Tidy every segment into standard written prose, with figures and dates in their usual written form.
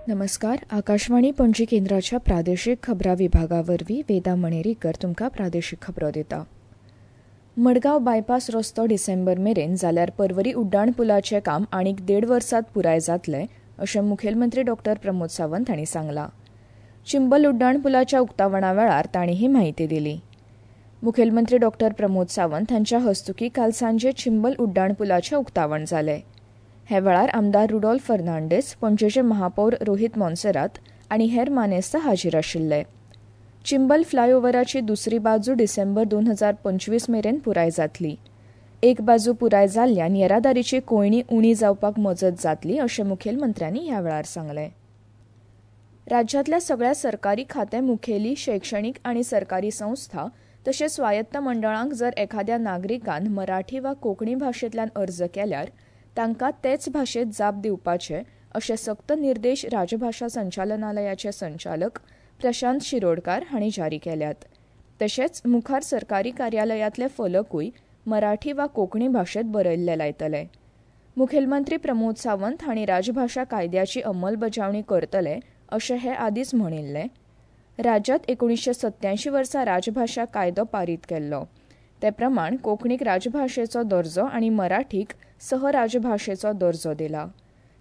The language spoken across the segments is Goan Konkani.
नमस्कार, आकाशवाणी पणजी केंद्राच्या प्रादेशीक खबरां विभागा वरवीं वेदा मणेरीकर तुमकां प्रादेशीक खबरो दिता. मडगांव बायपास रस्तो डिसेंबर मेरेन जाल्यार पर्वरी उड्डाण पुलाचें काम आनीक 1.5 वर्सात पुराय जातलें अशें मुखेलमंत्री डॉक्टर प्रमोद सावंत हांणी सांगलां. चिंबल उड्डाण पुलाच्या उक्तावणा वेळार तांणी ही म्हायती दिली. मुखेलमंत्री डॉक्टर प्रमोद सावंत हांच्या हस्तुकीं काल सांजे चिंबल उड्डाण पुलाचें उक्तावण जालें. हे वेळार आमदार रुडोल्फ फर्नांडीस, पणजेचे महापौर रोहित मोन्सेरात आनी हेर मानेस्त हाजीर आशिल्ले. चिंबल फ्लायओव्हराची दुसरी बाजू डिसेंबर 2025 मेरेन पुराय जातली. एक बाजू पुराय जाल्ल्यान येरादारीची कोंयडी उणी जावपाक मजत जातली अशें मुखेलमंत्र्यांनी ह्या वेळार सांगलें. राज्यांतल्या सगळ्या सरकारी खातें मुखेली, शैक्षणीक आनी सरकारी संस्था तशेंच स्वायत्त मंडळांक जर एखाद्या नागरिकान मराठी वा कोंकणी भाशेंतल्यान अर्ज केल्यार तांकां तेच भाशेंत जाप दिवपाचे अशे सक्त निर्देश राजभाशा संचालनालयाचे संचालक प्रशांत शिरोडकार हांणी जारी केल्यात. तशेंच मुखार सरकारी कार्यालयांतले फलकूय मराठी वा कोंकणी भाशेंत बरयल्ले लायतले. मुखेलमंत्री प्रमोद सावंत हांणी राजभाशा कायद्याची अंमलबजावणी करतले अशें हे आदींच म्हणिल्लें. राज्यांत 1987 वर्सा राजभाशा कायदो पारीत केल्लो. ते प्रमाण कोंकणीक राजभाशेचो दर्जो आनी मराठीक सहराजभाशेचो दर्जो दिला.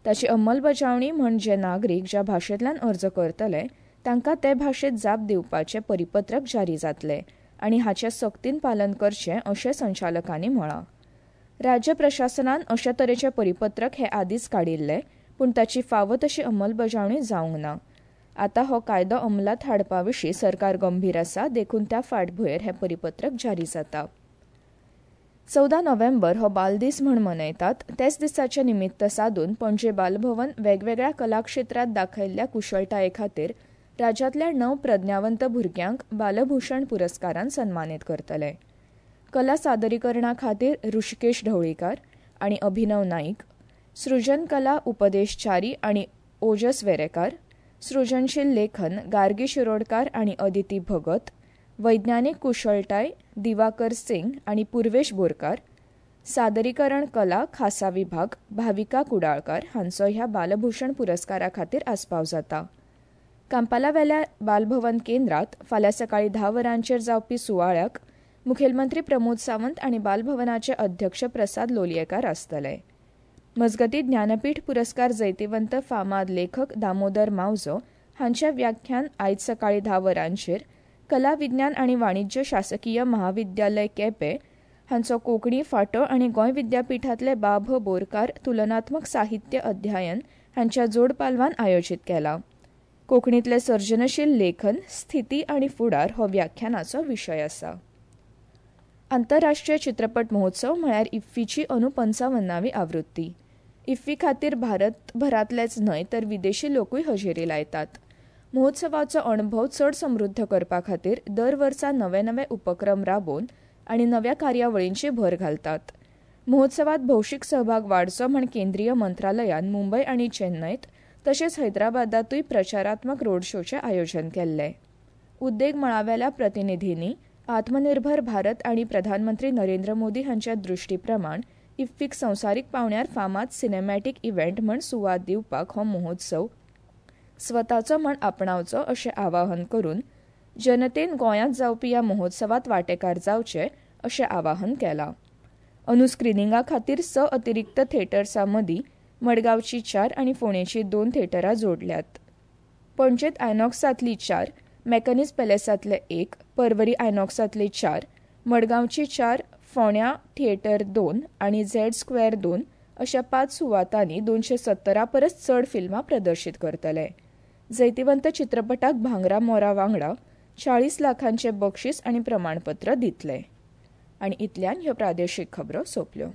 ताची अंमलबजावणी म्हण जे नागरीक ज्या भाशेंतल्यान अर्ज करतले तांकां ते भाशेंत जाप दिवपाचें परिपत्रक जारी जातलें आनी हाचें सक्तीन पालन करचें अशें संचालकांनी म्हळां. राज्य प्रशासनान अशे तरेचें परिपत्रक हे आदींच काडिल्लें, पूण ताची फावो तशी अंमलबजावणी जावंक ना. आतां हो कायदो अंमलांत हाडपा विशीं सरकार गंभीर आसा, देखून त्या फाटभुंयेर हें परिपत्रक जारी जाता. 14 नोव्हेंबर हो बालदीस म्हण मनयतात. तेच दिसाचें निमित्त सादून पणजे बालभवन वेगवेगळ्या कलाक्षेत्रांत दाखयल्ल्या कुशळटाये खातीर राज्यांतल्या 9 प्रज्ञावंत भुरग्यांक बालभूषण पुरस्कारान सन्मानीत करतले. कला सादरीकरणा खातीर ऋषिकेश ढवळीकार आनी अभिनव नाईक, सृजन कला उपदेश च्यारी आनी ओजस वेरेकार, सृजनशील लेखन गार्गी शिरोडकार आनी अदिती भगत, वैज्ञानिक कुशळटाय दिवाकर सिंग आनी पूर्वेश बोरकार, सादरीकरण कला खासा विभाग भाविका कुडाळकार हांचो ह्या बालभूषण पुरस्कारा खातीर आस्पाव जाता. कांपालावेल्या बालभवन केंद्रात फाल्यां सकाळीं 10 वरांचेर जावपी सुवाळ्याक मुखेलमंत्री प्रमोद सावंत आनी बालभवनाचे अध्यक्ष प्रसाद लोलयेकार आसतले. मजगतीं, ज्ञानपीठ पुरस्कार जैतिवंत फामाद लेखक दामोदर मावजो हांचे व्याख्यान आयज सकाळीं 10 वरांचेर कला विज्ञान आनी वाणिज्य शासकीय महाविद्यालय केपें हांचो कोंकणी फांटो आनी गोंय विद्यापिठांतले बा भ बोरकार तुलनात्मक साहित्य अध्ययन हांच्या जोडपालवान आयोजीत केला. कोंकणींतलें सर्जनशील लेखन, स्थिती आनी फुडार हो व्याख्यानाचो विशय आसा. आंतरराष्ट्रीय चित्रपट महोत्सव म्हळ्यार इफ्फीची अंदू 55वी आवृत्ती. इफ्फी खातीर भारतभरांतलेच न्हय तर विदेशी लोकूय हजेरी लायतात. महोत्सवाचो अणभव चड समृद्ध करपा खातीर दर वर्सा नवे नवे उपक्रम राबोवन आनी नव्या कार्यावळींची भर घालतात. महोत्सवात भौशीक सहभाग वाडचो म्हण केंद्रीय मंत्रालयान मुंबय आनी चेन्नयत तशेंच हैदराबादातूय प्रचारात्मक रोड शोचें आयोजन केल्लें. उद्देग मळावेल्या प्रतिनिधींनी आत्मनिर्भर भारत आनी प्रधानमंत्री नरेंद्र मोदी हांच्या दृश्टी प्रमाण इफ्फीक संवसारीक पांवड्यार फामाद सिनेमॅटीक इव्हेंट म्हण सुवात दिवपाक हो महोत्सव स्वताचो म्हण आपणावचो अशें आवाहन करून जनतेन गोंयांत जावपी ह्या महोत्सवात वांटेकार जावचे अशें आवाहन केलां. अंदू स्क्रिनिंगा खातीर 6 अतिरिक्त थेटर्सां मदीं मडगांवची 4 आनी फोंडेची 2 थेटरां जोडल्यात. पणजेंत आयनॉक्सांतली 4, मेकॅनिज पॅलेसांतले 1, पर्वरी आयनॉक्सांतली 4, मडगांवची 4, फोंड्या थिएटर 2 आनी झेड स्क्वेअर 2 अशा 5 सुवातांनी 270 परस चड फिल्मां प्रदर्शीत करतले. जैतिवंत चित्रपटाक भांगरा मोरा वांगडा 40 लाखांचे बक्षीस आनी प्रमाणपत्र दितले. आनी इतल्यान ह्यो प्रादेशीक खबरो सोंपल्यो.